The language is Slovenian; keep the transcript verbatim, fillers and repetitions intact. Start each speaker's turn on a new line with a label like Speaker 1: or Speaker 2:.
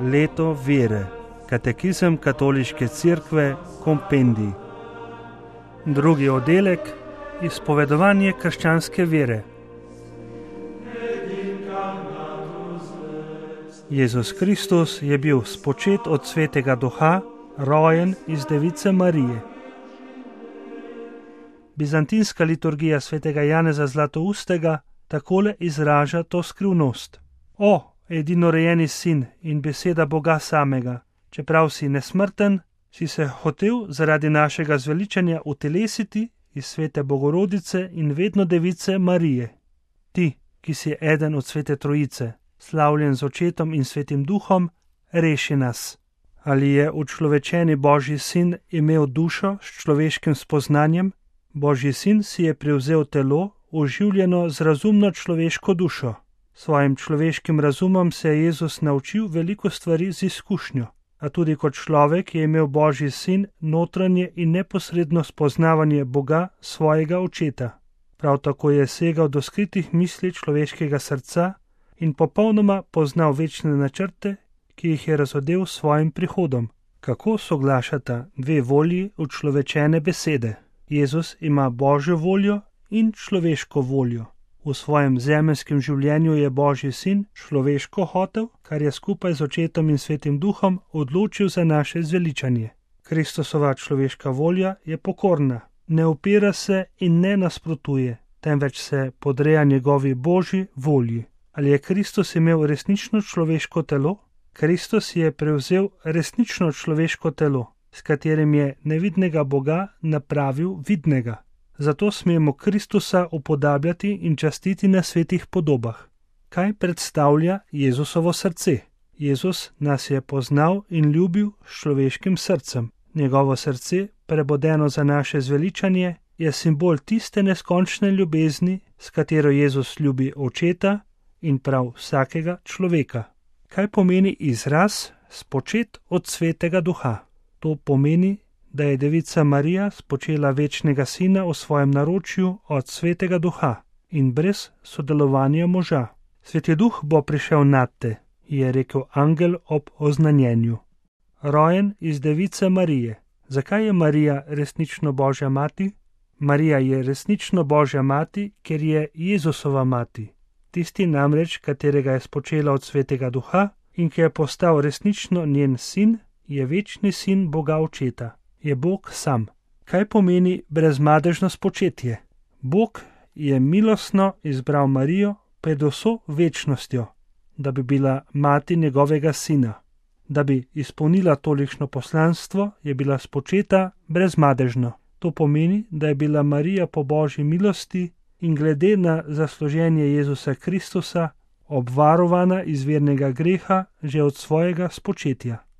Speaker 1: Leto vere. Katekizem Katoliške cerkve, kompendij. Drugi oddelek. Izpovedovanje krščanske vere. Jezus Kristus je bil spočet od Svetega Duha, rojen iz Device Marije. Bizantinska liturgija svetega Janeza Zlatoustega takole izraža to skrivnost. O, edinorejeni sin in beseda Boga samega, čeprav si nesmrten, si se hotel zaradi našega zveličanja utelesiti iz svete Bogorodice in vedno Device Marije. Ti, ki si eden od svete Trojice, slavljen z Očetom in Svetim Duhom, reši nas. Ali je učlovečeni Božji sin imel dušo s človeškim spoznanjem? Božji sin si je prevzel telo, oživljeno z razumno človeško dušo. Svojim človeškim razumom se je Jezus naučil veliko stvari z izkušnjo, a tudi kot človek je imel Božji sin notranje in neposredno spoznavanje Boga, svojega Očeta. Prav tako je segal do skritih misli človeškega srca in popolnoma poznal večne načrte, ki jih je razodel s svojim prihodom. Kako soglašata dve volji učlovečene besede? Jezus ima Božjo voljo in človeško voljo. V svojem zemeljskem življenju je Božji sin človeško hotel, kar je skupaj z Očetom in Svetim Duhom odločil za naše zveličanje. Kristusova človeška volja je pokorna, ne upira se in ne nasprotuje, temveč se podreja njegovi Božji volji. Ali je Kristus imel resnično človeško telo? Kristus je prevzel resnično človeško telo, s katerim je nevidnega Boga napravil vidnega. Zato smemo Kristusa upodabljati in častiti na svetih podobah. Kaj predstavlja Jezusovo srce? Jezus nas je poznal in ljubil s človeškim srcem. Njegovo srce, prebodeno za naše zveličanje, je simbol tiste neskončne ljubezni, s katero Jezus ljubi Očeta in prav vsakega človeka. Kaj pomeni izraz spočet od Svetega Duha? To pomeni, da je Devica Marija spočela večnega sina v svojem naročju od Svetega Duha in brez sodelovanja moža. Sveti Duh bo prišel nad te, je rekel angel ob oznanjenju. Rojen iz Device Marije. Zakaj je Marija resnično Božja mati? Marija je resnično Božja mati, ker je Jezusova mati. Tisti namreč, katerega je spočela od Svetega Duha in ki je postal resnično njen sin, je večni sin Boga Očeta. Je Bog sam. Kaj pomeni brezmadežno spočetje? Bog je milostno izbral Marijo pred vso večnostjo, da bi bila mati njegovega sina. Da bi izpolnila tolikšno poslanstvo, je bila spočeta brezmadežno. To pomeni, da je bila Marija po Božji milosti in glede na zasluženje Jezusa Kristusa obvarovana iz vernega greha že od svojega spočetja.